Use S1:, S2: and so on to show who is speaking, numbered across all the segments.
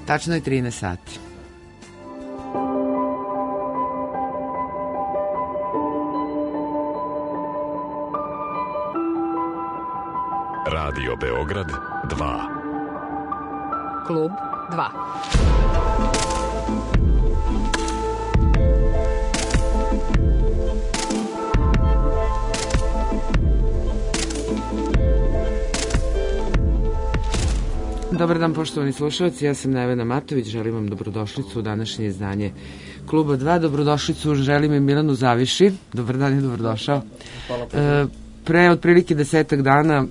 S1: Tačno je 13 sati.
S2: Radio Beograd 2.
S3: Klub 2.
S1: Dobar dan, poštovani slušalci, ja sam Nevena Matović, želim vam dobrodošlicu u današnje izdanje Kluba 2. Dobrodošlicu želim i Milanu Zaviši. Dobar dan i dobrodošao.
S4: Hvala.
S1: Pre otprilike 10 dana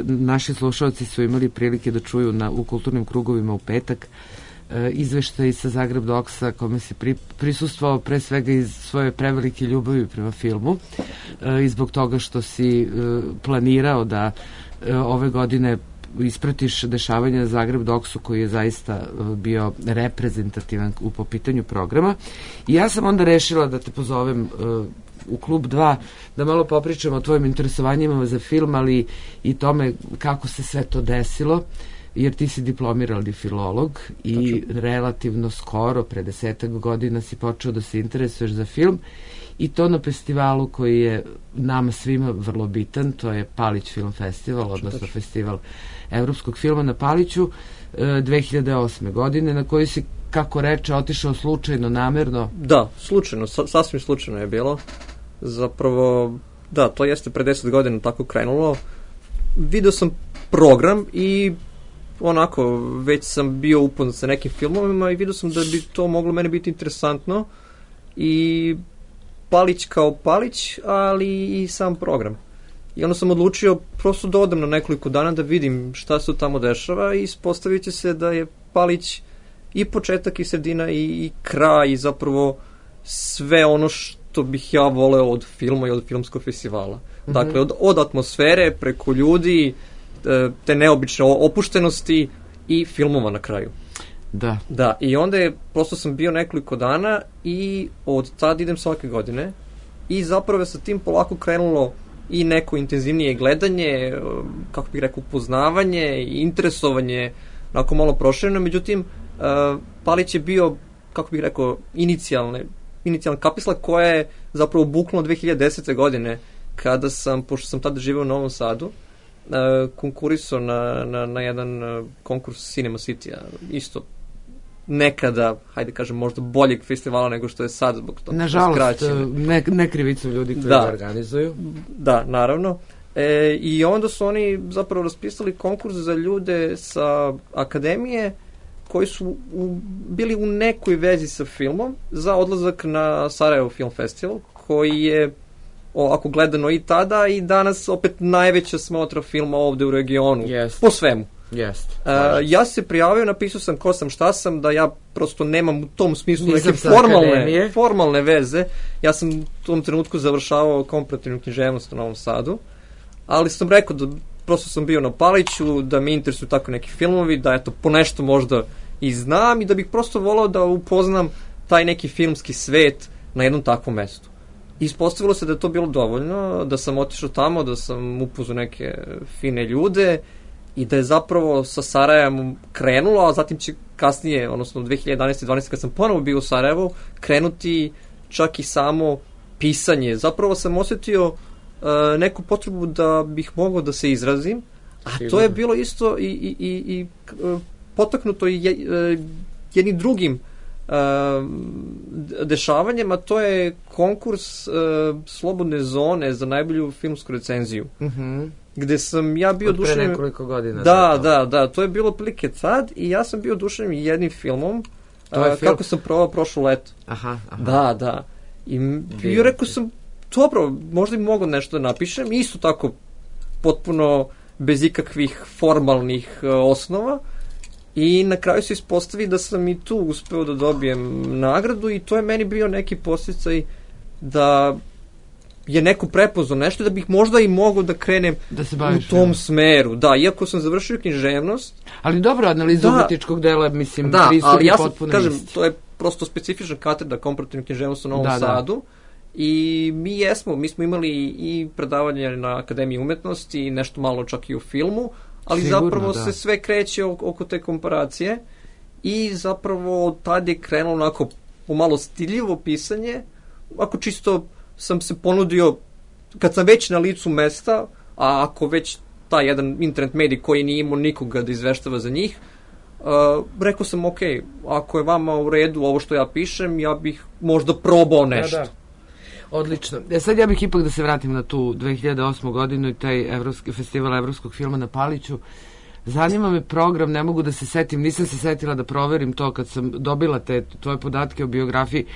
S1: naši slušalci su imali prilike da čuju u kulturnim krugovima u petak izveštaj sa Zagreb Doksa kome se prisustvovao pre svega iz svoje prevelike ljubavi prema filmu i zbog toga što si planirao da ove godine ispratiš dešavanja na Zagreb Doksu koji je zaista bio reprezentativan po pitanju programa. I ja sam onda rešila da te pozovem u Klub 2 da malo popričamo o tvojim interesovanjima za film, ali i tome kako se sve to desilo, jer ti si diplomirani filolog i relativno skoro, pre 10 godina si počeo da se interesuješ za film i to na festivalu koji je nama svima vrlo bitan, to je Palić Film Festival, odnosno Festival evropskog filma na Paliću 2008. godine, na koji si, kako reče, otišao slučajno, namerno?
S4: Da, slučajno, sasvim slučajno je bilo. Zapravo, da, to jeste pre 10 godina tako krenulo. Video sam program i onako, već sam bio upoznat sa nekim filmovima i video sam da bi to moglo mene biti interesantno i Palić kao Palić, ali i sam program. I onda sam odlučio prosto da odem na nekoliko dana da vidim šta se tamo dešava i ispostavit će se da je Palić i početak i sredina i kraj i zapravo sve ono što bih ja voleo od filma i od filmskog festivala. Dakle, od atmosfere preko ljudi, te neobične opuštenosti i filmova na kraju.
S1: Da.
S4: Da, i onda je, prosto sam bio nekoliko dana i od tada idem svake godine i zapravo sa tim polako krenulo i neko intenzivnije gledanje, kako bih rekao, upoznavanje i interesovanje, onako malo prošireno, međutim, Palić je bio, kako bih rekao, inicijalna kapisla koja je zapravo buknula 2010. godine, kada sam, pošto sam tada živeo u Novom Sadu, konkurisao na jedan konkurs Cinema City-a, isto nekada, hajde kažem, možda boljeg festivala nego što je sad, zbog toga.
S1: Nažalost, ne krivicu ljudi koji ga organizuju.
S4: Da, naravno. I onda su oni zapravo raspisali konkurs za ljude sa akademije koji su bili u nekoj vezi sa filmom za odlazak na Sarajevo Film Festival, koji je ovako gledano i tada i danas opet najveća smotra filma ovde u regionu. Po svemu. Ja se prijavio, napisao sam ko sam, šta sam, da ja prosto nemam u tom smislu neke formalne veze. Ja sam u tom trenutku završavao komparativnu književnost u Novom Sadu, ali sam rekao da prosto sam bio na Paliću, da me interesuju tako neki filmovi, da eto po nešto možda i znam i da bih prosto volao da upoznam taj neki filmski svet na jednom takvom mestu. Ispostavilo se da je to bilo dovoljno, da sam otišao tamo, da sam upoznao neke fine ljude i da je zapravo sa Sarajevom krenulo, a zatim će kasnije, odnosno 2011-2012, kad sam ponovo bio u Sarajevu, krenuti čak i samo pisanje. Zapravo sam osjetio neku potrebu da bih mogao da se izrazim, a to je bilo isto i potaknuto jednim drugim dešavanjem, a to je konkurs Slobodne zone za najbolju filmsku recenziju. Gde sam ja bio
S1: oduševljen... Od pre nekoliko godina.
S4: Da, to je bilo prilike tad i ja sam bio oduševljen jednim filmom, kako sam provao prošlo leto.
S1: Aha.
S4: Da. I rekao sam, dobro, možda bi mogao nešto da napišem, isto tako potpuno bez ikakvih formalnih osnova. I na kraju se ispostavi da sam i tu uspeo da dobijem nagradu i to je meni bio neki podsticaj da je neko prepoznao nešto da bih možda i mogao da krenem u tom smeru. Da, iako sam završio književnost.
S1: Ali dobro, analiza umetničkog dela, mislim,
S4: pristup je potpuno isti. Kažem, to je prosto specifična katedra komparativne književnosti u Novom Sadu. I mi smo imali i predavanje na Akademiji umetnosti i nešto malo čak i u filmu, ali zapravo se sve kreće oko te komparacije i zapravo tad je krenulo onako pomalo stiljivo pisanje, ako čisto sam se ponudio, kad sam već na licu mesta, a ako već taj jedan internet medij koji nije imao nikoga da izveštava za njih, rekao sam, ok, ako je vama u redu ovo što ja pišem, ja bih možda probao nešto.
S1: Da. Odlično. Sad ja bih ipak da se vratim na tu 2008. godinu i taj festival evropskog filma na Paliću. Zanima me program, ne mogu da se setim, nisam se setila da proverim to kad sam dobila te tvoje podatke o biografiji.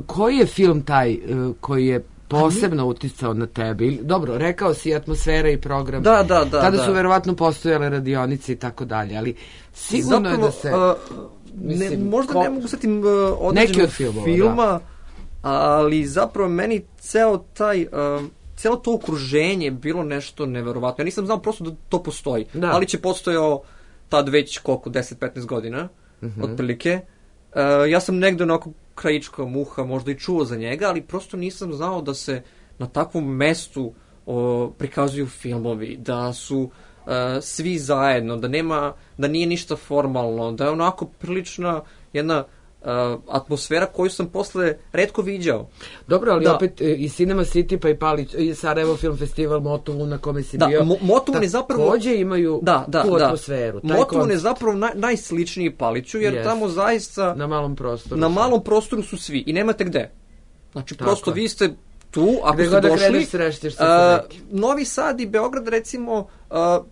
S1: Koji je film taj koji je posebno uticao na tebe? Dobro, rekao si atmosfera i program.
S4: Da.
S1: Tada su verovatno postojale radionice i tako dalje, ali sigurno
S4: zapravo,
S1: je da se...
S4: možda ne mogu setim određenog filma, ali zapravo meni celo to okruženje bilo nešto neverovatno. Ja nisam znao prosto da to postoji, ali će postojao tad već 10-15 godina, otprilike. Ja sam negde onako krajička muha, možda i čuo za njega, ali prosto nisam znao da se na takvom mestu prikazuju filmovi, da su svi zajedno, da nije ništa formalno, da je onako prilična jedna atmosfera koju sam posle retko viđao.
S1: Dobro, ali opet i Cinema City pa i Palić, i Sarajevo Film Festival, Motovun na kome si bio,
S4: Motovun je zapravo
S1: takođe imaju tu atmosferu.
S4: Motovun je zapravo najsličniji Paliću, jer tamo zaista na malom prostoru su svi i nemate gde. Znači, prosto vi ste tu, ako ste došli, Novi Sad i Beograd, recimo,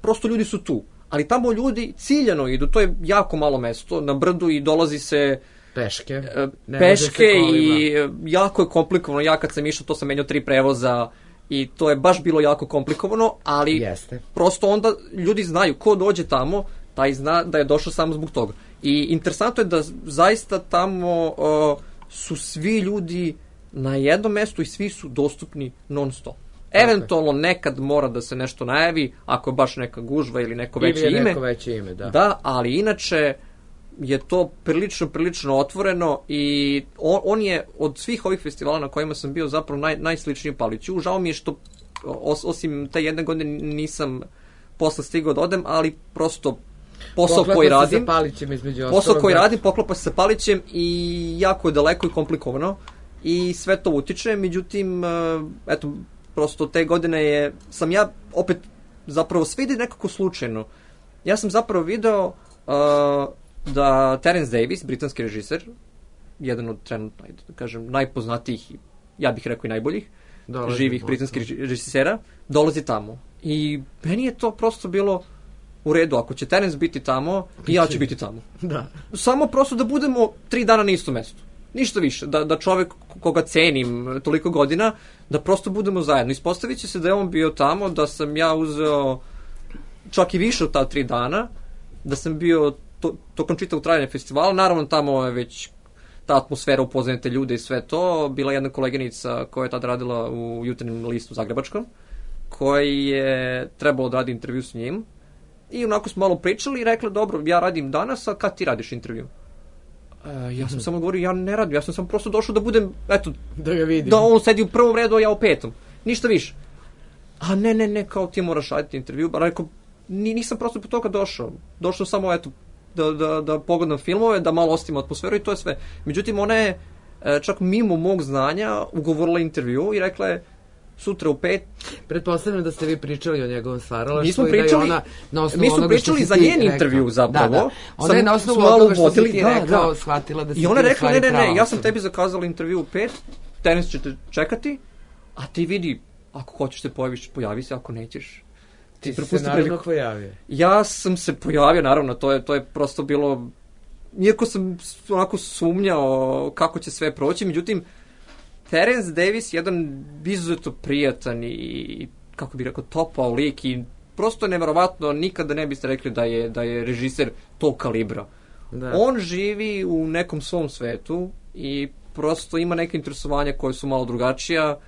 S4: prosto ljudi su tu. Ali tamo ljudi ciljano idu, to je jako malo mesto, na brdu, i dolazi se peške i jako je komplikovano. Ja kad sam išao, to sam menjao 3 prevoza i to je baš bilo jako komplikovano, ali prosto onda ljudi znaju, ko dođe tamo, taj zna da je došao samo zbog toga. I interesantno je da zaista tamo su svi ljudi na jednom mestu i svi su dostupni non stop. Eventualno nekad mora da se nešto najavi, ako je baš neka gužva ili neko veće ime. Da, ali inače je to prilično otvoreno i on je od svih ovih festivala na kojima sam bio zapravo najsličniji Paliću. Žao mi je što osim te jedne godine nisam posle stigao da odem, ali prosto posao koji radim poklapa se sa Palićem i jako je daleko i komplikovano i sve to utiče. Međutim, eto, prosto te godine sam ja opet zapravo sve ide nekako slučajno. Ja sam zapravo video da Terence Davis, britanski režiser, jedan od trenutno, da kažem, najpoznatijih, ja bih rekao i najboljih, živih britanskih režisera, dolazi tamo. I meni je to prosto bilo u redu. Ako će Terence biti tamo, i ja ću biti tamo. Samo prosto da budemo 3 dana na istom mestu. Ništa više. Da čovek koga cenim toliko godina, da prosto budemo zajedno. Ispostavit će se da je on bio tamo, da sam ja uzeo čak i više od ta 3 dana, da sam bio tokom čitavog trajanja festivala. Naravno, tamo je već ta atmosfera, upoznajete ljude i sve to. Bila jedna koleginica koja je tada radila u Jutarnjem listu zagrebačkom, koji je trebalo da radi intervju s njim. I onako smo malo pričali i rekla, dobro, ja radim danas, a kad ti radiš intervju? Ja sam samo govorio, ja ne radim, ja sam samo prosto došao da budem, eto,
S1: da ga vidim.
S4: Da on sedi u prvom redu, a ja u 5. Ništa više. A ne, kao ti moraš raditi intervju. Rekao, nisam prosto po toga došao. Došao samo, eto, da pogledam filmove, da malo osjetim atmosferu i to je sve. Međutim, ona je čak mimo mog znanja ugovorila intervju i rekla je, sutra u 5.
S1: Pretpostavljam da ste vi pričali o njegovom stvaralaštvu.
S4: Mi smo pričali za njen intervju zapravo.
S1: Da. Ona je na osnovu onoga što si ti rekao shvatila da si ti u stvari pravo.
S4: I ona rekla, ne, ja sam tebi zakazala intervju u 5, Terence će te čekati, a ti vidi, ako hoćeš se pojaviš, pojavi se, ako nećeš.
S1: Ti se naravno pojavio.
S4: Ja sam se pojavio, naravno, to je prosto bilo, iako sam onako sumnjao kako će sve proći, međutim, Terence Davis je jedan izuzetno prijatan i, kako bih rekao, topao lik i prosto je neverovatno, nikada ne biste rekli da je režiser tog kalibra. On živi u nekom svom svetu i prosto ima neke interesovanja koje su malo drugačija,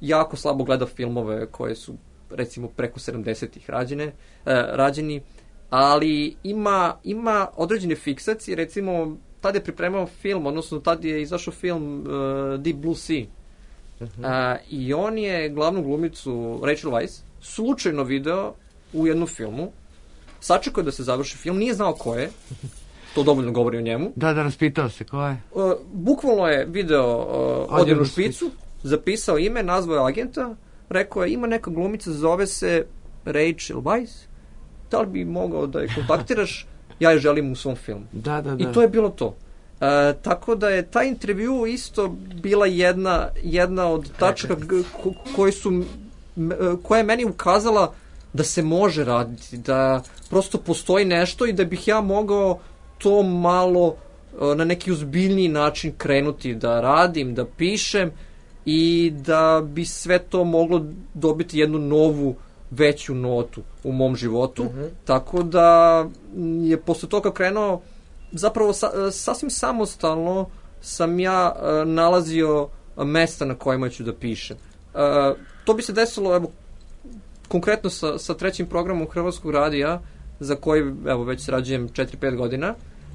S4: jako slabo gleda filmove koje su, recimo, preko 70-ih rađeni, ali ima određene fiksacije, recimo, tad je pripremao film, odnosno tad je izašao film Deep Blue Sea. I on je glavnu glumicu Rachel Weisz slučajno video u jednom filmu, sačekao da se završi film, nije znao ko je, to dovoljno govori o njemu.
S1: Da, raspitao se, ko je?
S4: Bukvalno je video odjevnu špicu, zapisao ime, nazvao je agenta, rekao je, ima neka glumica, zove se Rachel Weisz, da li bi mogao da je kontaktiraš, ja je želim u svom filmu.
S1: Da.
S4: I to je bilo to. Tako da je taj intervju isto bila jedna od tačaka koja je meni ukazala da se može raditi, da prosto postoji nešto i da bih ja mogao to malo na neki ozbiljniji način krenuti da radim, da pišem i da bi sve to moglo dobiti jednu novu, veću notu u mom životu. Tako da je posle toga krenuo, zapravo sasvim samostalno sam ja nalazio mesta na kojima ću da pišem. To bi se desilo, evo, konkretno sa trećim programom Hrvatskog radija, za koji, evo, već sarađujem 4-5 godina,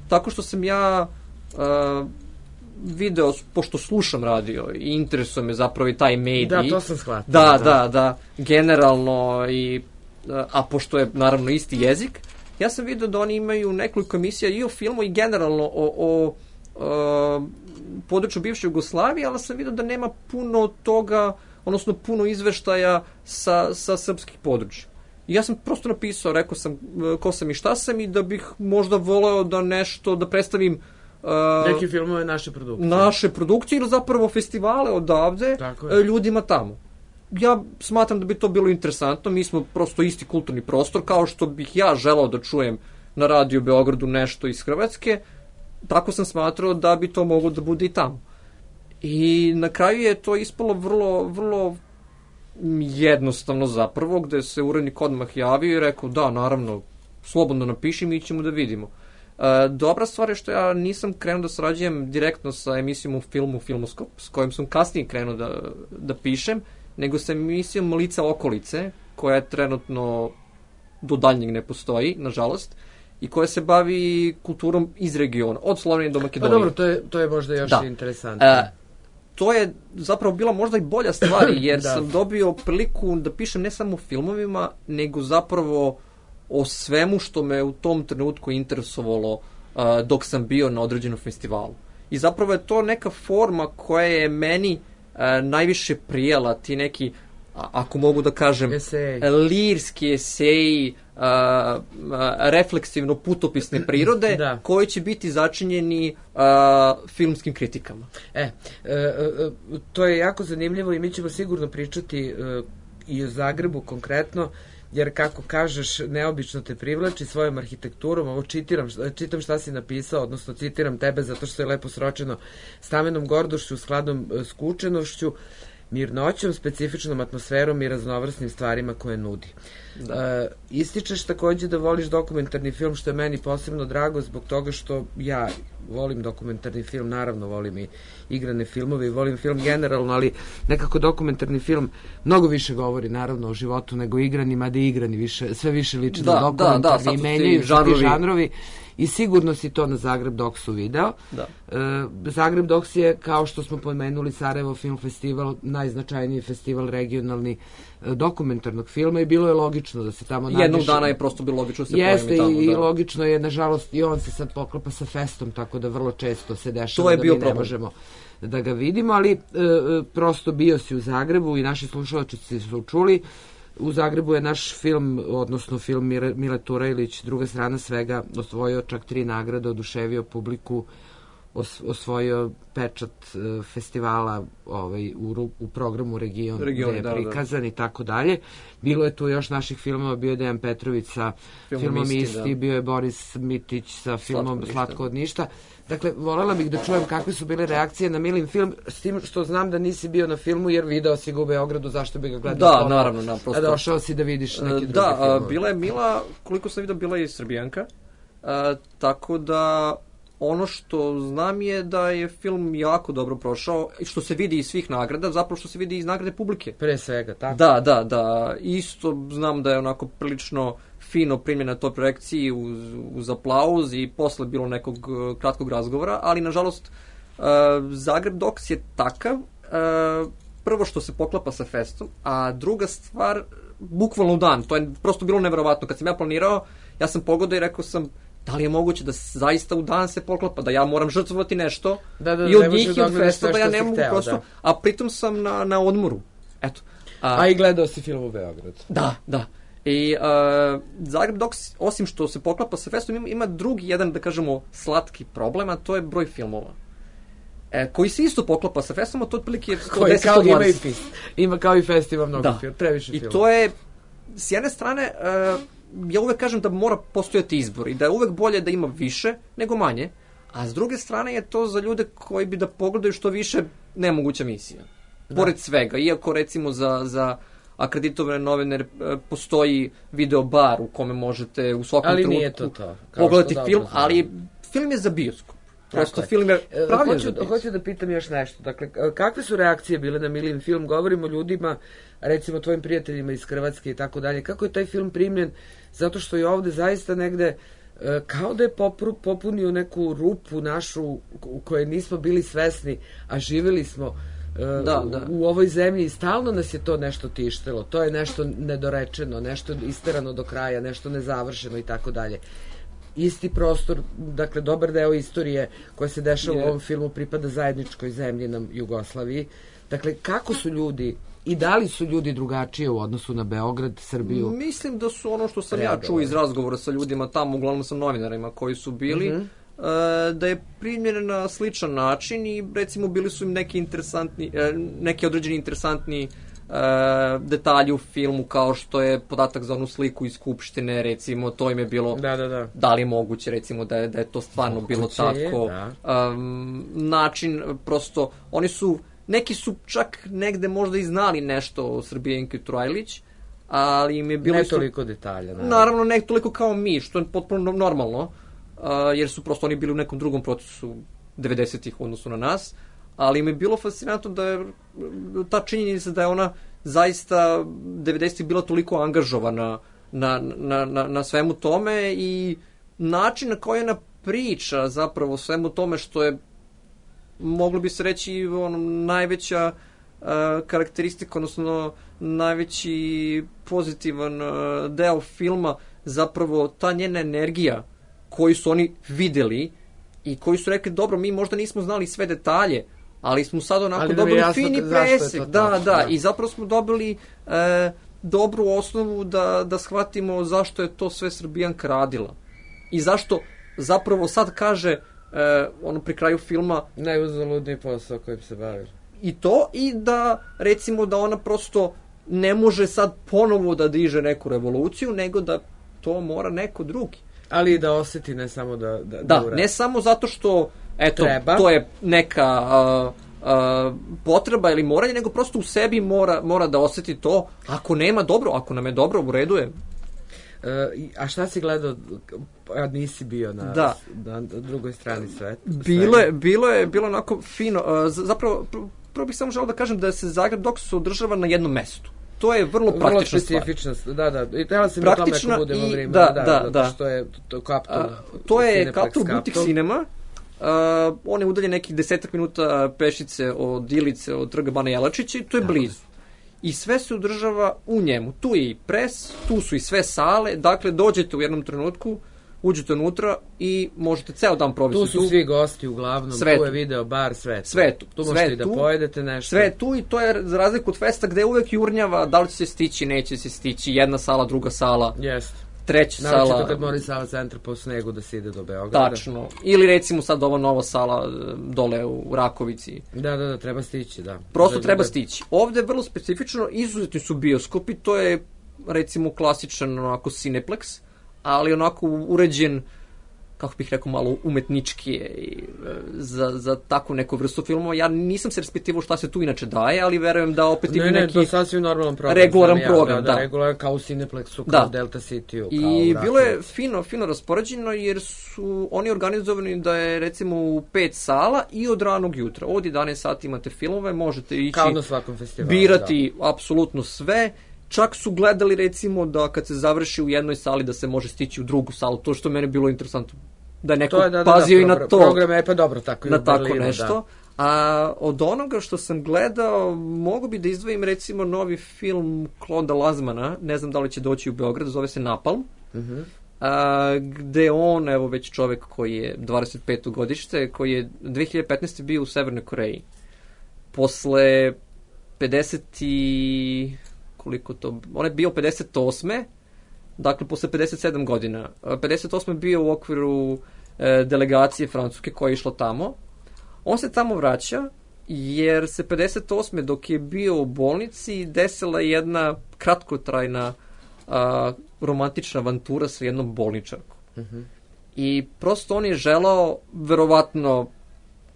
S4: tako što sam ja video, pošto slušam radio i interesuje me zapravo i taj medij.
S1: Da, to sam shvatio.
S4: Da, generalno, a pošto je naravno isti jezik, ja sam video da oni imaju nekoliko emisija i o filmu i generalno o području bivše Jugoslavije, ali sam video da nema puno toga, odnosno puno izveštaja sa srpskih područja. I ja sam prosto napisao, rekao sam ko sam i šta sam i da bih možda voleo da nešto, da predstavim
S1: neki filmove naše produkcije.
S4: Naše produkcije ili zapravo festivale odavde ljudima tamo. Ja smatram da bi to bilo interesantno, mi smo prosto isti kulturni prostor, kao što bih ja želao da čujem na Radio Beogradu nešto iz Hrvatske, tako sam smatrao da bi to moglo da bude i tamo. I na kraju je to ispalo vrlo, vrlo jednostavno zapravo, gde se urednik odmah javio i rekao, da, naravno, slobodno napiši, mi ćemo da vidimo. Dobra stvar je što ja nisam krenuo da sarađujem direktno sa emisijom u filmu Filmoskop, s kojim sam kasnije krenuo da pišem, nego sa emisijom Lica okolice, koja je trenutno do daljnjeg ne postoji, nažalost, i koja se bavi kulturom iz regiona, od Slovenije do Makedonije.
S1: Pa dobro, to je možda još interesantno.
S4: To je zapravo bila možda i bolja stvar, jer sam dobio priliku da pišem ne samo o filmovima, nego zapravo o svemu što me u tom trenutku interesovalo dok sam bio na određenom festivalu. I zapravo je to neka forma koja je meni najviše prijela, ti neki, ako mogu da kažem, lirski eseji, refleksivno putopisne prirode, koji će biti začinjeni filmskim kritikama.
S1: To je jako zanimljivo i mi ćemo sigurno pričati i o Zagrebu konkretno, jer kako kažeš, neobično te privlači svojom arhitekturom. Ovo čitam šta si napisao, odnosno citiram tebe zato što je lepo sročeno: stamenom gordošću, skladnom skučenošću, mirnoćom, specifičnom atmosferom i raznovrsnim stvarima koje nudi. Ističeš takođe da voliš dokumentarni film, što je meni posebno drago zbog toga što ja volim dokumentarni film, naravno volim i igrane filmove i volim film generalno, ali nekako dokumentarni film mnogo više govori naravno o životu nego igrani, mada i igrani sve više liči na dokumentarni i menjaju ti žanrovi. I sigurno si to na Zagreb Doksu video. Zagreb Doks je, kao što smo pomenuli, Sarajevo Film Festival, najznačajniji festival regionalni dokumentarnog filma i bilo je logično da se tamo nađeš.
S4: Jednog dana je prosto bilo logično da se pojemi tamo.
S1: Jeste i logično je, nažalost, i on se sad poklapa sa festom, tako da vrlo često se dešava da mi ne možemo da ga vidimo, ali prosto bio si u Zagrebu i naši slušalci su čuli. U Zagrebu je naš film, odnosno film Mile Turajlić, Druga strana svega, osvojio čak 3 nagrade, oduševio publiku, osvojio pečat festivala u programu Region gde je prikazan i tako dalje. Bilo je tu još naših filmova, bio je Dejan Petrović sa filmom Isti, bio je Boris Mitić sa filmom Slatko od ništa. Dakle, voljela bih da čujem kakve su bile reakcije na Milin film, s tim što znam da nisi bio na filmu, jer video si ga u Beogradu, zašto bi ga gledao?
S4: Da, naravno.
S1: A došao si da vidiš neki drugi film.
S4: Da, bila je Mila, koliko sam vidio, bila je i Srbijanka, tako da ono što znam je da je film jako dobro prošao, što se vidi iz svih nagrada, zapravo što se vidi iz nagrade publike.
S1: Pre svega, tako?
S4: Da. Isto znam da je onako prilično fino primljena na toj projekciji uz aplauz i posle bilo nekog kratkog razgovora, ali nažalost Zagreb Doks je takav, prvo što se poklapa sa festom, a druga stvar, bukvalno u dan, to je prosto bilo neverovatno. Kad sam ja planirao, ja sam pogodio i rekao sam, Da li je moguće da zaista u dan se poklapa, da ja moram žrtvovati nešto
S1: i
S4: od njih i od festa, da ja ne mogu prosto, a pritom sam na odmoru. Eto.
S1: A i gledao si film u Beogradu.
S4: Da. I Zagreb Docs, osim što se poklapa sa festom, ima drugi jedan, da kažemo, slatki problem, a to je broj filmova. Koji se isto poklapa sa festom, a to otprilike je 110-120.
S1: Ima kao i fest, ima mnogo previše filmova.
S4: I to je, s jedne strane, ja uvek kažem da mora postojati izbor i da je uvek bolje da ima više nego manje, a s druge strane je to za ljude koji bi da pogledaju što više nemoguća misija. Pored svega, iako recimo za akreditovane novinare postoji video bar u kome možete u svakom trenutku pogledati film, ali film je za bioskop. Prosto film je pravljen za bioskop.
S1: Hoću da pitam još nešto. Dakle, kakve su reakcije bile na Milin film? Govorimo o ljudima, recimo tvojim prijateljima iz Hrvatske i tako dalje. Kako je taj film primljen? Zato što je ovde zaista negde kao da je popunio neku rupu našu u kojoj nismo bili svesni, a živjeli smo u ovoj zemlji i stalno nas je to nešto tištilo. To je nešto nedorečeno, nešto isterano do kraja, nešto nezavršeno i tako dalje. Isti prostor, dakle, dobar deo istorije koja se dešava u ovom filmu pripada zajedničkoj zemlji nam Jugoslaviji. Dakle, kako su ljudi i da li su ljudi drugačije u odnosu na Beograd, Srbiju?
S4: Mislim da su ono što sam ja čuo iz razgovora sa ljudima tamo, uglavnom sa novinarima koji su bili, da je primljen na sličan način i recimo bili su im neki određeni interesantni detalji u filmu, kao što je podatak za onu sliku iz Skupštine, recimo, to im je bilo da li je moguće, recimo, da je to stvarno bilo tako. Način, prosto, neki su čak negde možda i znali nešto o Srbijenki Turajlić, ali im je bilo...
S1: Ne toliko detalja.
S4: Naravno, ne toliko kao mi, što je potpuno normalno, jer su prosto oni bili u nekom drugom procesu 90-ih u odnosu na nas, ali mi je bilo fascinantno da je ta činjenica da je ona zaista 90-ih bila toliko angažovana na svemu tome i način na koji ona priča zapravo o svemu tome, što je, moglo bi se reći, najveća karakteristika, odnosno najveći pozitivan deo filma, zapravo ta njena energija koju su oni videli i koji su rekli, dobro, mi možda nismo znali sve detalje, ali smo sad onako dobili fini presek. Da, i zapravo smo dobili dobru osnovu da shvatimo zašto je to sve Srbijanka radila. I zašto zapravo sad kaže pri kraju filma
S1: najuzaludniji posao kojim se bavi.
S4: I to, i da recimo da ona prosto ne može sad ponovo da diže neku revoluciju, nego da to mora neko drugi.
S1: Ali i da osjeti, ne samo da uradi.
S4: Ne samo zato što to je neka potreba ili moranje, nego prosto u sebi mora da osjeti to. Ako nema dobro, ako nam je dobro, u redu je.
S1: A šta si gledao, a nisi bio na drugoj strani sveta?
S4: Bilo onako fino. Zapravo, prvo bih samo želeo da kažem da se Zagreb Docs održava na jednom mestu. To je vrlo praktična stvar.
S1: Vrlo specifična, da. I tela se mi o tome ako budemo vreme. Da. Što je to Kaptol.
S4: To je Kaptol Butik Cinema. On je udaljen nekih 10 minuta pešice od Ilice, od trga Bana Jelačića i to je blizu. I sve se održava u njemu. Tu je i pres, tu su i sve sale, dakle dođete u jednom trenutku, uđete unutra i možete ceo dan provesti tu.
S1: Tu su svi gosti uglavnom, tu je video bar, sve tu. Tu možete i da pojedete nešto.
S4: Sve tu i to je za razliku od festa gde uvek jurnjava da li će se stići, neće se stići, jedna sala, druga sala.
S1: Jeste.
S4: Treća sala.
S1: Naravno kad mora Sava centar po snegu da se ide do Beograda.
S4: Tačno. Ili recimo sad ova nova sala dole u Rakovici.
S1: Da, treba stići, da.
S4: Prosto treba stići. Ovde je vrlo specifično, izuzetni su bioskopi, to je recimo klasičan onako Cineplex, ali onako uređen, kako bih rekao, malo umetnički za takvu neku vrstu filmova. Ja nisam se raspitivao šta se tu inače daje, ali verujem da opet ima neki...
S1: to je sasvim normalan program.
S4: Regularan program, da.
S1: Regularan kao u Cineplexu, kao u Delta City-u.
S4: I bilo je fino raspoređeno, jer su oni organizovani da je recimo u 5 sala i od ranog jutra. Od 11 sati imate filmove, možete ići...
S1: Kao na svakom festivalu,
S4: birati apsolutno sve. Čak su gledali recimo da kad se završi u jednoj sali da se može stići u drugu salu, to što meni bilo interesantno, da je neko pazio i na to.
S1: Program je pa dobro, tako i u Berlinu.
S4: Na tako nešto. A od onoga što sam gledao, mogu bi da izdvojim recimo novi film Claude'a Lanzmana, ne znam da li će doći u Beograd, zove se Napalm. gde on, evo već čovek koji je 25. godište, koji je 2015. bio u Severnoj Koreji. Posle 50 i... koliko to... On je bio 58. Dakle, posle 57 godina. 58. je bio u okviru delegacije Francuske koja je išla tamo. On se tamo vraća jer se 58. dok je bio u bolnici desila jedna kratkotrajna romantična avantura sa jednom bolničarkom. I prosto on je želao, verovatno,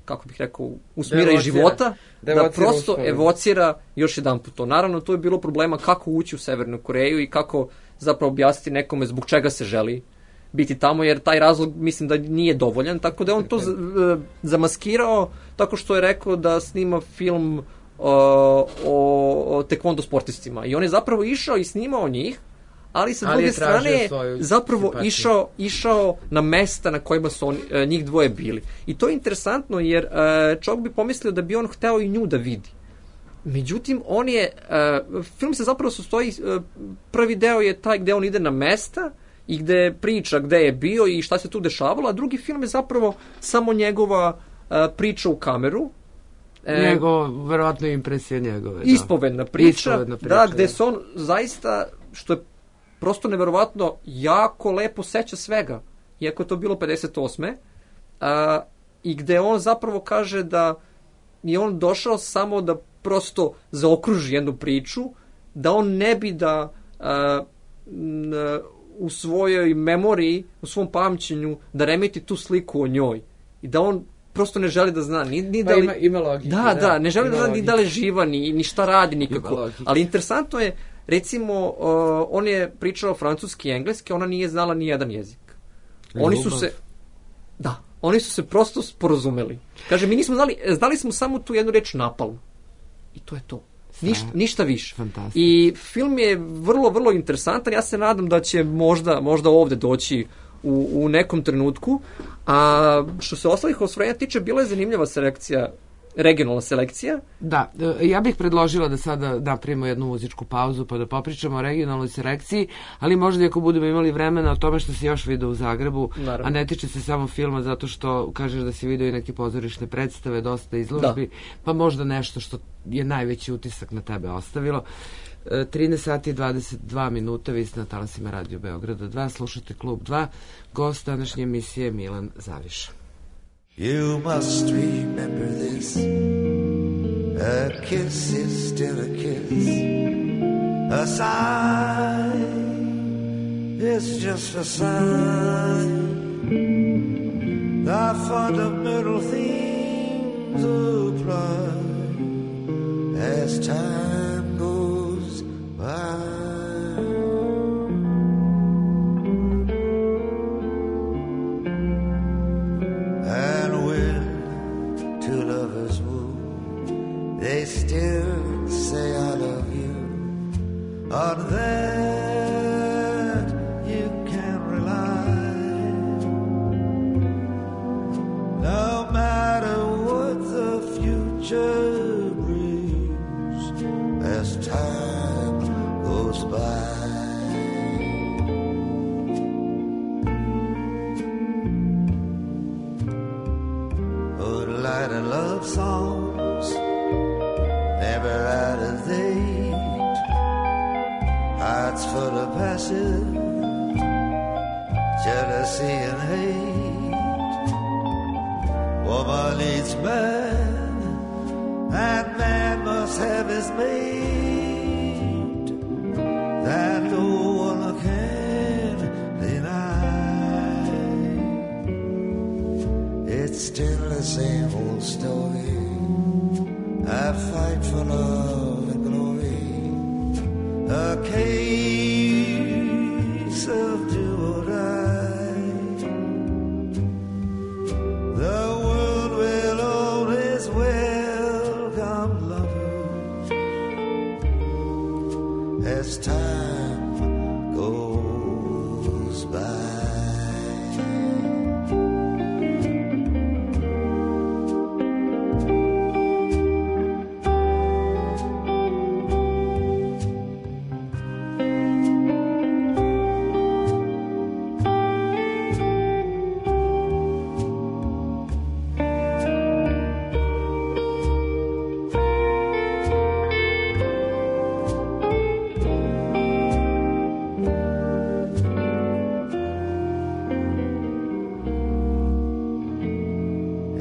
S4: kako bih rekao, usmira iz života, da prosto evocira još jedan put to. Naravno, tu je bilo problema kako ući u Severnu Koreju i kako zapravo objasniti nekome zbog čega se želi biti tamo, jer taj razlog mislim da nije dovoljan, tako da je on to zamaskirao tako što je rekao da snima film o tekvondo sportistima. I on je zapravo išao i snimao njih, ali sa druge strane je zapravo išao na mesta na kojima su njih dvoje bili. I to je interesantno jer čovjek bi pomislio da bi on hteo i nju da vidi. Međutim, on je, film se zapravo sastoji, prvi deo je taj gde on ide na mesta i gde priča gde je bio i šta se tu dešavalo, a drugi film je zapravo samo njegova priča u kameru.
S1: Verovatno impresija njegove.
S4: Ispovedna priča, da, gde se on zaista, što je prosto neverovatno, jako lepo seća svega, iako je to bilo 58. I gde on zapravo kaže da je on došao samo da prosto zaokruži jednu priču, da on ne bi da u svojoj memoriji, u svom pamćenju, da remeti tu sliku o njoj. I da on prosto ne želi da zna ni da li...
S1: Ima logike.
S4: Da, ne želi da zna ni da li je živa, ni šta radi nikako. Ali interesantno je, recimo, on je pričao francuski i engleski, ona nije znala ni jedan jezik. Oni su se prosto sporazumeli. Kaže, mi nismo znali smo samo tu jednu reč napalm. I to je to. Ništa više. I film je vrlo, vrlo interesantan. Ja se nadam da će možda ovde doći u nekom trenutku. A što se ostalih ostvarenja tiče, bila je zanimljiva selekcija, regionalna selekcija.
S1: Da, ja bih predložila da sada napravimo jednu muzičku pauzu pa da popričamo o regionalnoj selekciji, ali možda i ako budemo imali vremena o tome što si još video u Zagrebu, naravno. A ne tiče se samo filma zato što kažeš da si video i neke pozorišne predstave, dosta izložbi, pa možda nešto što je najveći utisak na tebe ostavilo. 13 sati i 22 minuta, vi ste na talasima Radio Beograda 2, slušate Klub 2, gost današnje emisije je Milan Zaviša.
S5: You must remember this. A kiss is still a kiss. A sigh is just a sign. The fundamental themes apply as time goes by. They still say I love you. On that you can rely. No matter what the future brings as time goes by. Moonlight and love songs never out of date, hearts full of passion, jealousy and hate. Woman needs man, and man must have his mate. That no one can deny. It's still the same old story. I fight for love and glory, a case of do or die. The world will always welcome lovers as time goes by.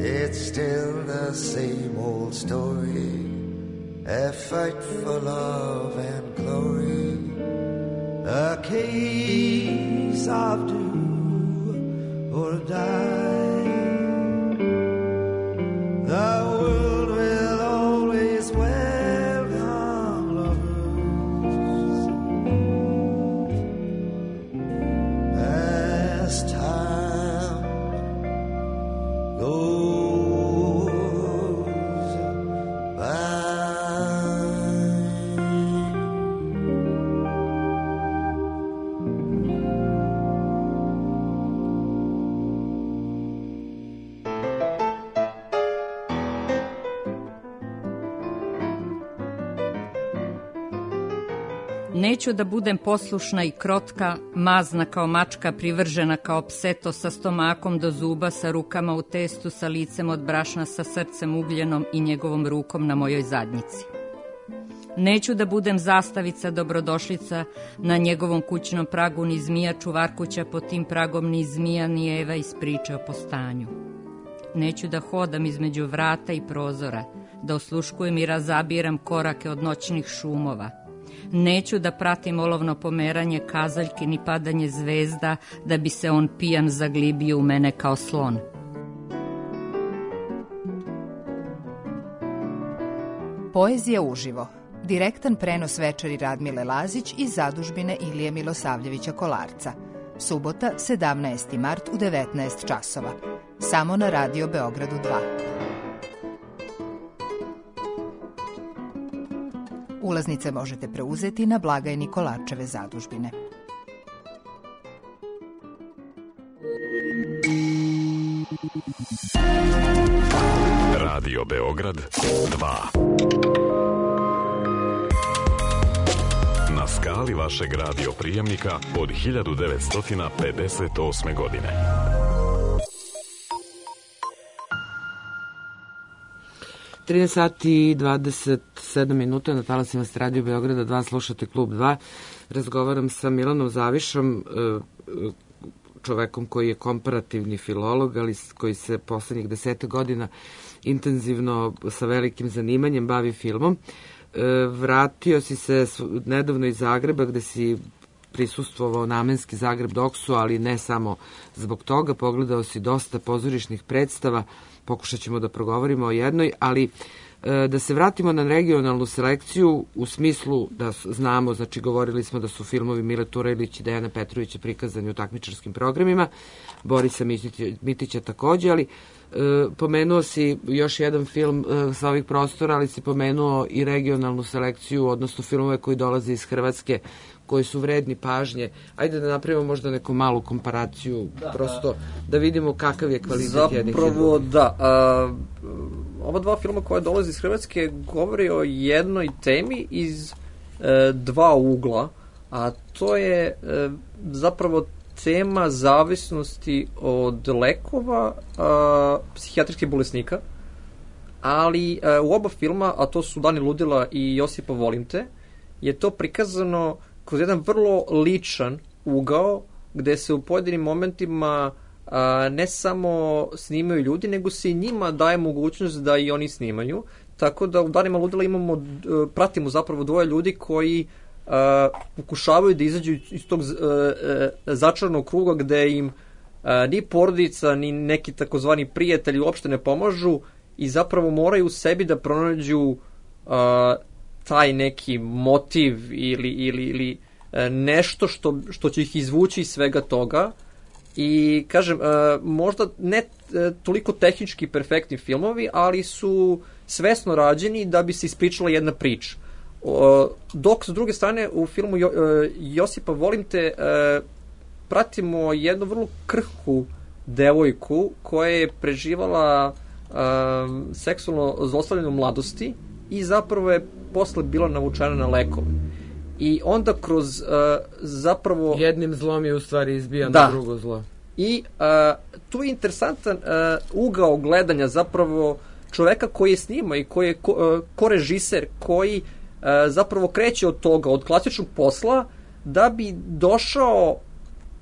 S5: It's still the same old story, a fight for love and glory, a case of do or die. The world will always welcome lovers as time goes by.
S6: Neću da budem poslušna i krotka, mazna kao mačka, privržena kao pseto, sa stomakom do zuba, sa rukama u testu, sa licem od brašna, sa srcem ugljenom i njegovom rukom na mojoj zadnjici. Neću da budem zastavica, dobrodošlica na njegovom kućnom pragu, ni zmija čuvarkuća pod tim pragom, ni zmija, ni Eva iz priče o postanju. Neću da hodam između vrata i prozora, da osluškujem i razabiram korake od noćnih šumova. Neću da pratim olovno pomeranje kazaljki ni padanje zvezda, da bi se on pijan zaglibio u mene kao slon.
S3: Poezija uživo. Direktan prenos večeri Radmile Lazić iz zadužbine Ilije Milosavljevića Kolarca. Subota, 17. mart u 19 časova. Samo na Radio Beogradu 2. Ulaznice možete preuzeti na blagajni Kolarčeve zadužbine.
S2: Radio Beograd 2. Na skali vašeg radio prijemnika od 1958. godine.
S1: sati i 27 minuta na talasima s Radio Beograda 2, slušate Klub 2. Razgovaram sa Milanom Zavišom, čovekom koji je komparativni filolog, ali koji se poslednjih 10 godina intenzivno sa velikim zanimanjem bavi filmom. Vratio si se nedavno iz Zagreba, gde si prisustvovao namenski Zagreb Doksu, ali ne samo zbog toga. Pogledao si dosta pozorišnih predstava, pokušat ćemo da progovorimo o jednoj, ali da se vratimo na regionalnu selekciju u smislu da znamo, znači govorili smo da su filmovi Mile Turajlić i Dejana Petrovića prikazani u takmičarskim programima, Borisa Mitića takođe, ali pomenuo si još jedan film sa ovih prostora, ali si pomenuo i regionalnu selekciju, odnosno filmove koji dolaze iz Hrvatske, koji su vredni pažnje. Ajde da napravimo možda neku malu komparaciju, prosto da vidimo kakav je kvalitet jednih i drugih.
S4: Zapravo, da. Ova dva filma koja dolaze iz Hrvatske govori o jednoj temi iz dva ugla, a to je zapravo tema zavisnosti od lekova psihijatrijskih bolesnika, ali u oba filma, a to su Dani ludila i Josipa volim te, je to prikazano kroz jedan vrlo ličan ugao, gde se u pojedinim momentima ne samo snimaju ljudi, nego se i njima daje mogućnost da i oni snimaju. Tako da u Danima ludila pratimo zapravo dvoje ljudi koji pokušavaju da izađu iz tog začarnog kruga gde im ni porodica, ni neki takozvani prijatelji uopšte ne pomažu i zapravo moraju u sebi da pronađu taj neki motiv ili nešto što će ih izvući iz svega toga. I kažem, možda ne toliko tehnički perfektni filmovi, ali su svesno rađeni da bi se ispričala jedna priča. Dok s druge strane u filmu Josipa volim te pratimo jednu vrlo krhku devojku koja je preživala seksualno zlostavljanje u mladosti i zapravo je posle bila navučena na lekove. I onda kroz zapravo...
S1: Jednim zlom je u stvari izbijano na drugo zlo.
S4: I tu je interesantan ugao gledanja zapravo čoveka koji je snima i koji je korežiser, koji zapravo kreće od toga, od klasičnog posla, da bi došao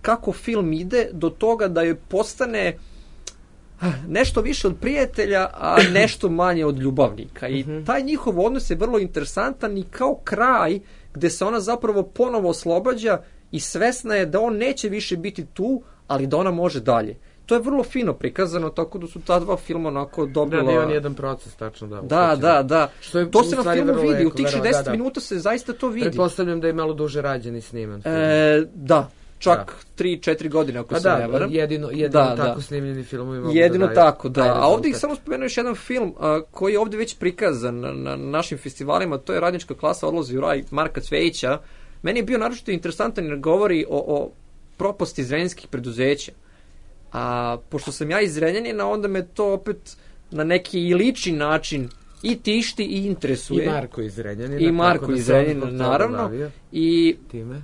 S4: kako film ide do toga da joj postane nešto više od prijatelja, a nešto manje od ljubavnika. I taj njihov odnos je vrlo interesantan i kao kraj gde se ona zapravo ponovo oslobađa i svesna je da on neće više biti tu, ali da ona može dalje. To je vrlo fino prikazano, tako da su ta dva filma onako dobila...
S1: Da, nije on jedan proces, tačno, da.
S4: Da.
S1: Što je,
S4: to se na filmu vidi, u tih 60 minuta se zaista to vidi.
S1: Pretpostavljam da je malo duže rađen i sniman film.
S4: Da, čak 3-4 godine, ako se ne varam.
S1: Jedino tako snimljeni filmovi mogu
S4: jedino tako, da. A ovdje ih samo spomenuo još jedan film koji je ovdje već prikazan na našim festivalima, to je Radnička klasa odlazi u raj Marka Cvejića. Meni je bio naročito interesantan jer govori o propasti zrenjanskih preduzeća. A pošto sam ja iz Zrenjanina, onda me to opet na neki i lični način i tišti i interesuje.
S1: I Marko iz Zrenjanina.
S4: I Marko iz Zrenjanina, naravno. I
S1: time?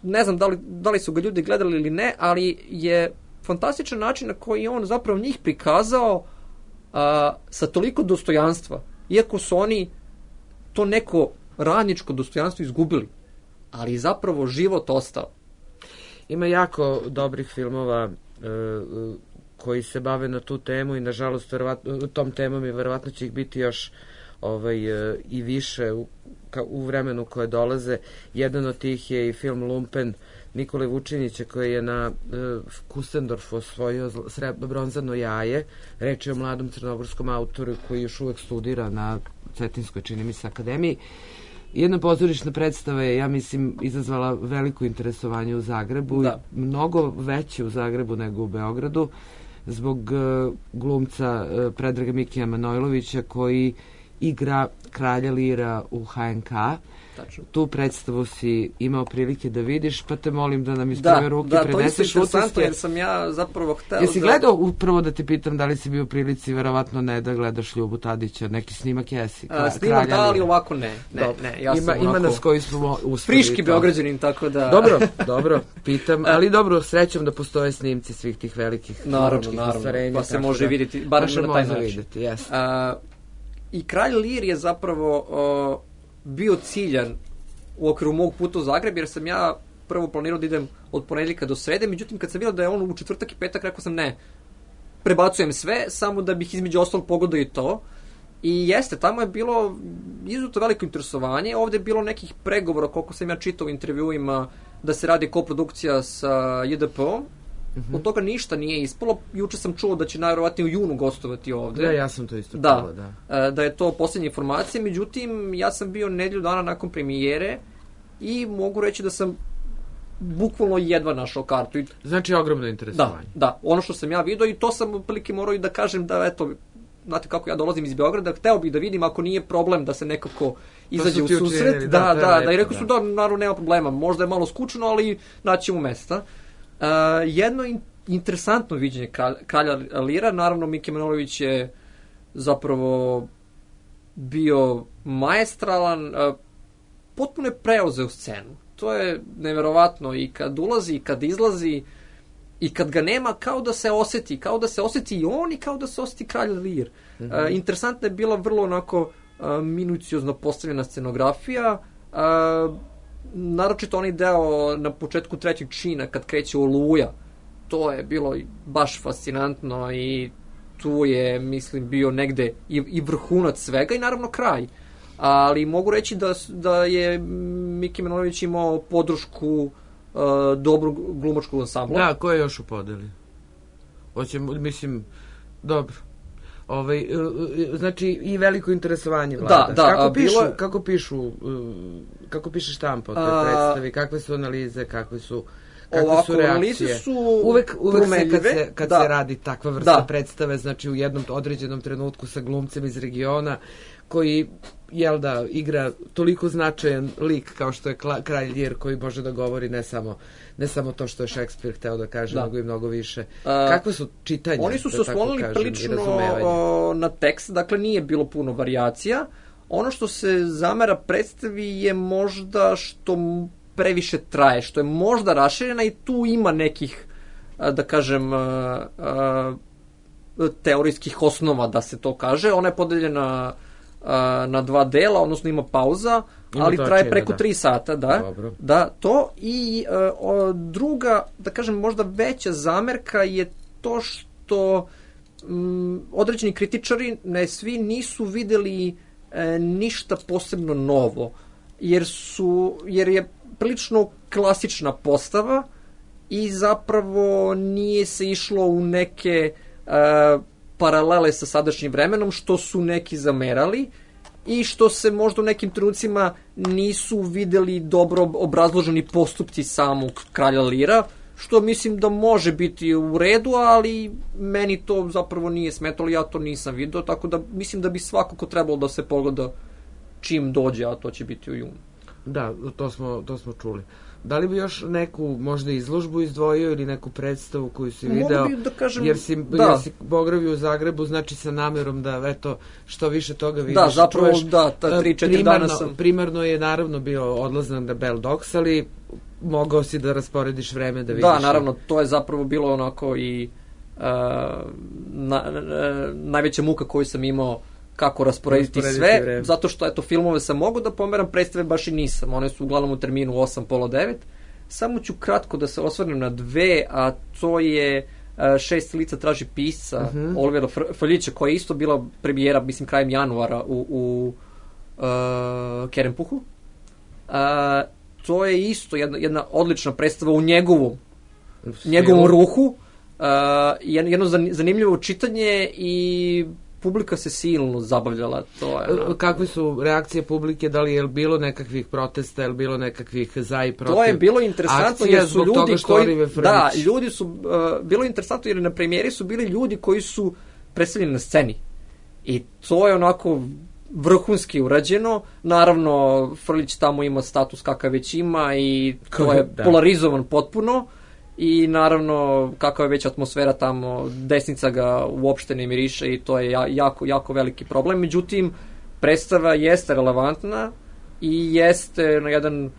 S4: Ne znam da li su ga ljudi gledali ili ne, ali je fantastičan način na koji on zapravo njih prikazao sa toliko dostojanstva. Iako su oni to neko radničko dostojanstvo izgubili. Ali zapravo život ostao.
S1: Ima jako dobrih filmova koji se bave na tu temu i nažalost tom temom i verovatno će ih biti još i više u vremenu koje dolaze. Jedan od tih je i film Lumpen Nikole Vučinića koji je na Kustendorfu osvojio bronzano jaje. Reč je o mladom crnogorskom autoru koji još uvek studira na Cetinskoj, čini mi se, akademiji. Jedna pozorišna predstava je, ja mislim, izazvala veliko interesovanje u Zagrebu. Mnogo veće u Zagrebu nego u Beogradu zbog glumca Predraga Mikija Manojlovića koji igra kralja Lira u HNK. Tačno. Tu predstavu si imao prilike da vidiš, pa te molim da nam iz prve ruke preneseš utiske. Da, to je interesantno jer
S4: sam ja zapravo hteo...
S1: Jesi gledao, upravo da te pitam, da li si bio u prilici, verovatno ne, da gledaš Ljubu Tadića, neki snimak jesi?
S4: Snimak da, ali ovako ne. Ja sam
S1: ima nas koji smo uspeli.
S4: Friški Beograđanin, tako da...
S1: Dobro, pitam, ali dobro, srećom da postoje snimci svih tih velikih
S4: naravno, pa se može vidjeti, bar na taj način. I kralj Lir je zapravo bio ciljan u okviru mog puta u Zagreb, jer sam ja prvo planirao da idem od ponedjeljka do srede, međutim kad sam vidio da je on u četvrtak i petak, rekao sam ne, prebacujem sve, samo da bih između ostalog pogodio i to. I jeste, tamo je bilo izuzetno veliko interesovanje, ovdje je bilo nekih pregovora, koliko sam ja čitao u intervjuima, da se radi koprodukcija sa JDP-om. Od toga ništa nije ispalo. Juče sam čuo da će najvjerovatnije u junu gostovati ovdje.
S1: Da, ja sam to isto čuo,
S4: da je to posljednja informacija. Međutim, ja sam bio nedelju dana nakon premijere i mogu reći da sam bukvalno jedva našao kartu.
S1: Znači, ogromno interesovanje.
S4: Da, ono što sam ja vidio i to sam otprilike morao i da kažem da, eto, znate kako ja dolazim iz Beograda, hteo bih da vidim ako nije problem da se nekako izađe u susret. Da, i rekao su da, naravno, nema problema. Možda je malo skučno, ali naćemo mesta. Jedno interesantno viđenje kralja Lira, naravno Miki Manojlović je zapravo bio maestralan, potpuno je preuzeo scenu. To je neverovatno i kad ulazi i kad izlazi i kad ga nema, kao da se osjeti i on i kao da se osjeti kralj Lir. Interesantna je bila vrlo onako minuciozno postavljena scenografija, naročito onaj deo na početku trećeg čina kad kreće Oluja, to je bilo baš fascinantno i tu je, mislim, bio negde i vrhunac svega i naravno kraj. Ali mogu reći da je Miki Manojlović imao podršku dobrog glumačkog ansambla.
S1: Da, ko je još u podeli? Mislim, dobro. Znači i veliko interesovanje vlada. Kako piše štampa o toj predstavi, kakve su analize, kakve su reakcije?
S4: Analize su
S1: uvek kad se radi takva vrsta predstave, znači u jednom određenom trenutku sa glumcem iz regiona koji igra toliko značajan lik kao što je kralj Lir, koji može da govori ne samo to što je Šekspir hteo da kaže, nego i mnogo više. Kakve su čitanja?
S4: Oni su se oslonili prilično na tekst, dakle nije bilo puno varijacija. Ono što se zamera predstavi je možda što previše traje, što je možda raširena i tu ima nekih, da kažem, teorijskih osnova da se to kaže. Ona je podeljena na 2 dela, odnosno ima pauza, ali traje preko 3 sata, da, to. I druga, da kažem, možda veća zamerka je to što određeni kritičari, ne svi, nisu videli ništa posebno novo, jer je prilično klasična postava i zapravo nije se išlo u neke paralele sa sadašnjim vremenom, što su neki zamerali i što se možda u nekim trenucima nisu videli dobro obrazloženi postupci samog kralja Lira, što mislim da može biti u redu, ali meni to zapravo nije smetalo, ja to nisam vidio, tako da mislim da bi svakako trebalo da se pogleda čim dođe, a to će biti u junu.
S1: Da, to smo čuli. Da li bi još neku možda izložbu izdvojio ili neku predstavu koju si video,
S4: da kažem,
S1: jer si boravio u Zagrebu, znači sa namerom da eto što više toga vidiš.
S4: Da, zapravo
S1: čuješ,
S4: da, 3-4 dana sam.
S1: Primarno je naravno bio odlazak na Belle Dox, ali mogao si da rasporediš vreme da vidiš.
S4: Da, naravno, to je zapravo bilo onako i najveća muka koju sam imao kako rasporediti sve, vreme. Zato što eto filmove sam mogao da pomeram, predstave baš i nisam, one su uglavnom u terminu 8, pola 9. Samo ću kratko da se osvrnem na dve, a to je Šest lica traži pisca Olivera Frljića, koja je isto bila premijera, mislim, krajem januara u Kerempuhu. To je isto jedna odlična predstava u njegovom ruhu, jedno zanimljivo čitanje i publika se silno zabavljala.
S1: Kakve su reakcije publike, da li je bilo nekakvih protesta, je li bilo nekakvih za i protiv?
S4: To je bilo interesantno jer su ljudi ljudi su, bilo interesantno jer na premijeri su bili ljudi koji su predstavljeni na sceni. I to je onako vrhunski urađeno. Naravno, Frljić tamo ima status kakav već ima i to je polarizovan potpuno. I naravno, kakva je već atmosfera tamo, desnica ga uopšte ne miriše i to je jako, jako veliki problem. Međutim, predstava jeste relevantna i jeste na jedan,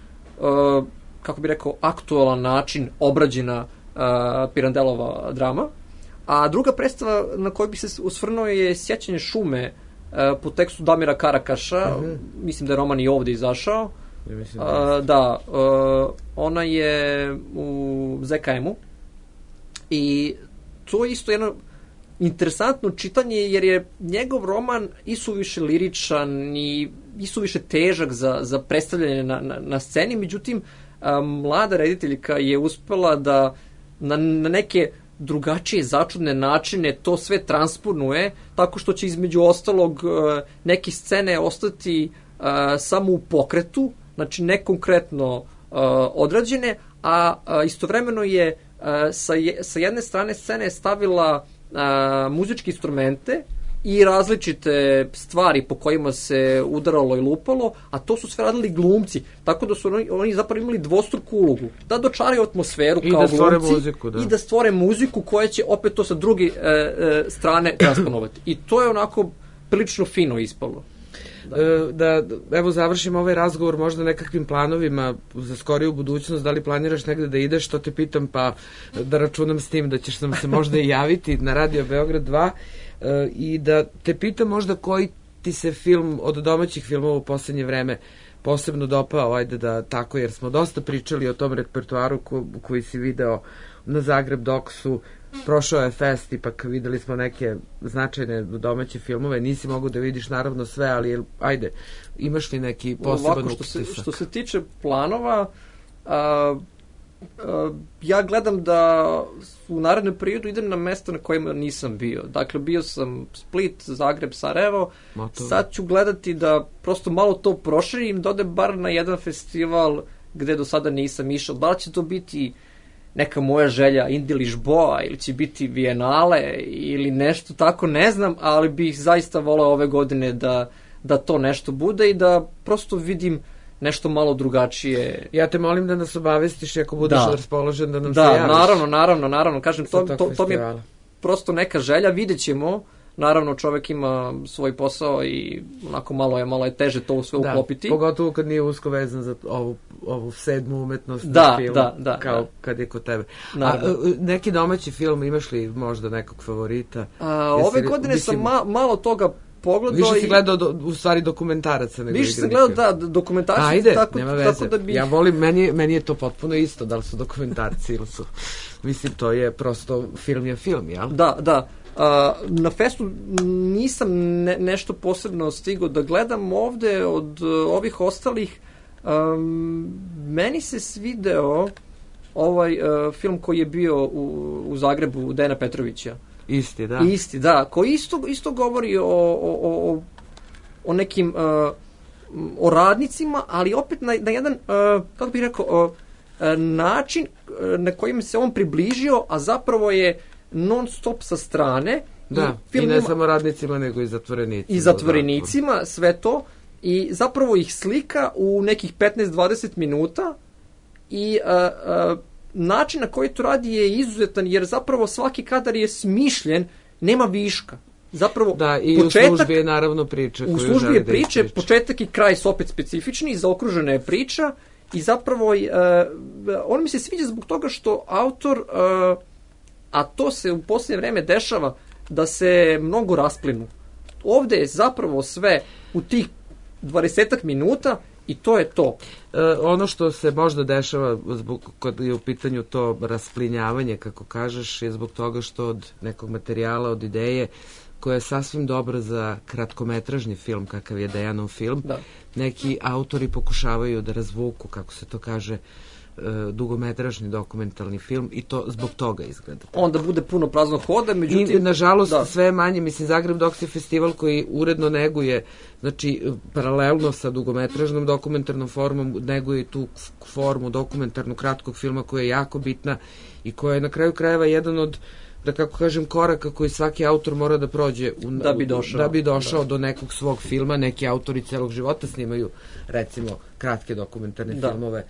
S4: kako bih rekao, aktualan način obrađena Pirandelova drama. A druga predstava na kojoj bi se usvrnuo je Sjećanje šume po tekstu Damira Karakaša. Mislim da je roman i ovde izašao. Ona je u ZKM-u i to je isto jedno interesantno čitanje jer je njegov roman isuviše liričan i isuviše težak za predstavljanje na sceni, međutim mlada rediteljka je uspela da na neke drugačije začudne načine to sve transponuje tako što će između ostalog neke scene ostati samo u pokretu, znači ne konkretno odrađene, a istovremeno je sa jedne strane scene stavila muzičke instrumente i različite stvari po kojima se udaralo i lupalo, a to su sve radili glumci, tako da su oni zapravo imali dvostruku ulogu, da dočaraju atmosferu kao glumci i da stvore muziku koja će opet to sa druge strane transponovati. I to je onako prilično fino ispalo.
S1: Da evo završimo ovaj razgovor možda nekakvim planovima za skoriju budućnost, da li planiraš negde da ideš, to te pitam, pa da računam s tim da ćeš nam se možda i javiti na Radio Beograd 2 i da te pitam možda koji ti se film od domaćih filmova u poslednje vreme posebno dopao, ajde da tako, jer smo dosta pričali o tom repertoaru koji si video na Zagreb Doxu. Prošao je fest, ipak videli smo neke značajne domaće filmove, nisi mogu da vidiš naravno sve, ali ajde, imaš li neki poseban utisak?
S4: Što se tiče planova, ja gledam da u narednom periodu idem na mesta na kojima nisam bio. Dakle, bio sam Split, Zagreb, Sarajevo, sad ću gledati da prosto malo to proširim, da odem bar na jedan festival gde do sada nisam išao. Da li će to biti neka moja želja Indi Lisboa ili će biti Vijenale ili nešto tako, ne znam, ali bih zaista voleo ove godine da to nešto bude i da prosto vidim nešto malo drugačije.
S1: Ja te molim da nas obavestiš ako budeš raspoložen da nam se javiš.
S4: Naravno, kažem, to mi je prosto neka želja, vidjet ćemo. Naravno, čovek ima svoj posao i onako malo je teže to sve uklopiti.
S1: Pogotovo kad nije usko vezan za ovu sedmu umetnost film, kao kad je kod tebe. Neki domaći film, imaš li možda nekog favorita?
S4: Ove godine sam malo toga pogledao.
S1: Više si gledao u stvari dokumentaraca nego
S4: više sam gledao dokumentarci.
S1: Ajde,
S4: tako,
S1: nema veze.
S4: Tako da bi...
S1: Ja volim, meni je to potpuno isto, da li su dokumentarci ili su... Mislim, to je prosto film je film, jel?
S4: Da. Na festu nisam nešto posebno stigao da gledam ovde od ovih ostalih. Meni se svideo ovaj film koji je bio u Zagrebu Dejana Petrovića. Isti, da. Koji isto govori o nekim o radnicima, ali opet na jedan, kako bih rekao, način na kojim se on približio, a zapravo je non stop sa strane.
S1: Da, i ne samo radnicima, nego i zatvorenicima.
S4: I zatvorenicima, sve to. I zapravo ih slika u nekih 15-20 minuta i način na koji to radi je izuzetan, jer zapravo svaki kadar je smišljen, nema viška. Zapravo,
S1: da, i početak, u službi je naravno priča.
S4: U službi je priče, početak i kraj su opet specifični, zaokružena je priča i zapravo on mi se sviđa zbog toga što autor, a to se u posljednje vreme dešava, da se mnogo rasplinu. Ovde je zapravo sve u tih 20 minuta i to je to.
S1: Ono što se možda dešava kad je u pitanju to rasplinjavanje, kako kažeš, je zbog toga što od nekog materijala, od ideje, koja je sasvim dobra za kratkometražni film, kakav je Dejanov film, neki autori pokušavaju da razvuku, kako se to kaže, dugometražni dokumentalni film i to zbog toga izgleda.
S4: Onda bude puno praznog hoda, međutim...
S1: I, nažalost, sve manje, mislim, Zagreb Doks je festival koji uredno neguje, znači, paralelno sa dugometražnom dokumentarnom formom, neguje tu formu dokumentarnu kratkog filma koja je jako bitna i koja je na kraju krajeva jedan od, da kako kažem, koraka koji svaki autor mora da prođe da bi došao do nekog svog filma. Neki autori celog života snimaju, recimo, kratke dokumentarne filmove.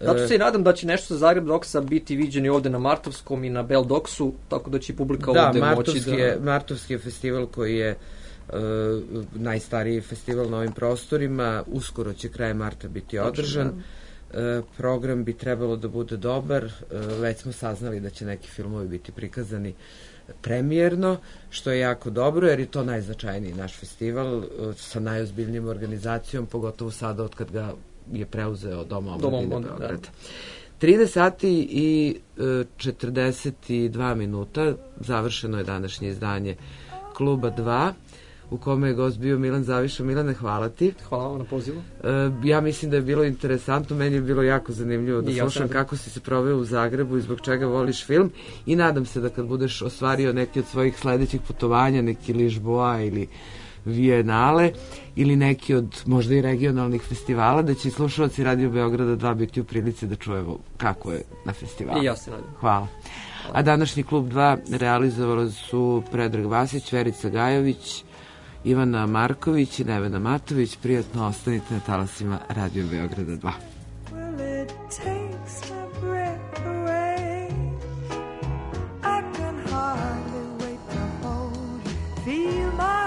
S4: Zato se i nadam da će nešto sa Zagreb Doksa biti viđeni ovde na Martovskom i na Bell Doksu, tako da će publika ovde moći da...
S1: Martovski je festival koji je najstariji festival na ovim prostorima, uskoro će krajem marta biti održan. Program bi trebalo da bude dobar, već smo saznali da će neki filmovi biti prikazani premijerno, što je jako dobro, jer je to najznačajniji naš festival sa najozbiljnijim organizacijom, pogotovo sada od kad ga je preuzeo Dom omladine Beograda. 13 sati i 42 minuta završeno je današnje izdanje Kluba 2, u kome je gost bio Milan Zaviša. Milane, hvala ti.
S4: Hvala vam na pozivu.
S1: Ja mislim da je bilo interesantno, meni je bilo jako zanimljivo da slušam kako si se proveo u Zagrebu i zbog čega voliš film i nadam se da kad budeš ostvario neki od svojih sledećih putovanja, neki Ližboa ili Vijenale ili neki od možda i regionalnih festivala, da će i slušalci Radio Beograda 2 biti u prilici da čujemo kako je na festivalu.
S4: I ja se nadam.
S1: Hvala. A današnji Klub 2 realizovali su Predrag Vasić, Verica Gajović, Ivana Marković i Nevena Matović. Prijatno ostanite na talasima Radio Beograda 2.
S7: Feel my